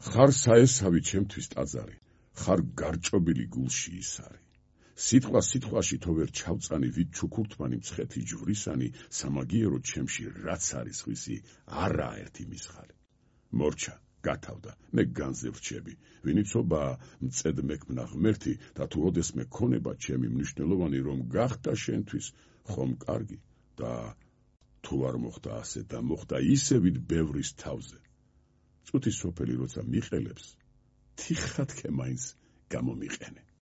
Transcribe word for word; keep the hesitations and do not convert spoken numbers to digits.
ხარ საესავი ჩემთვის ტაძარი, ხარ გარჭობილი გულში ისარი. სიტყვა სიტყვაში თო ვერ ჩავწანი, ვით ჩუქურთმანი მცხეთი ჯვრისანი, სამაგიერო ჩემში რაც არის ხვისი, არაა ერთი მისხალი. მორჩა, გათავდა, მე განზე ვრჩები, ვინიცობა მწედ მექმნა ღმერთი და თუ ოდესმე ქონება ჩემი მნიშვნელოვანი რომ გახდა შენთვის, ხომ კარგი და თუ არ მოხდა ასე და მოხდა ისევით ბევრის თავზე. წუთი სოფელი როცა მიყელებს, თიხათქე მაინც გამომიყენე.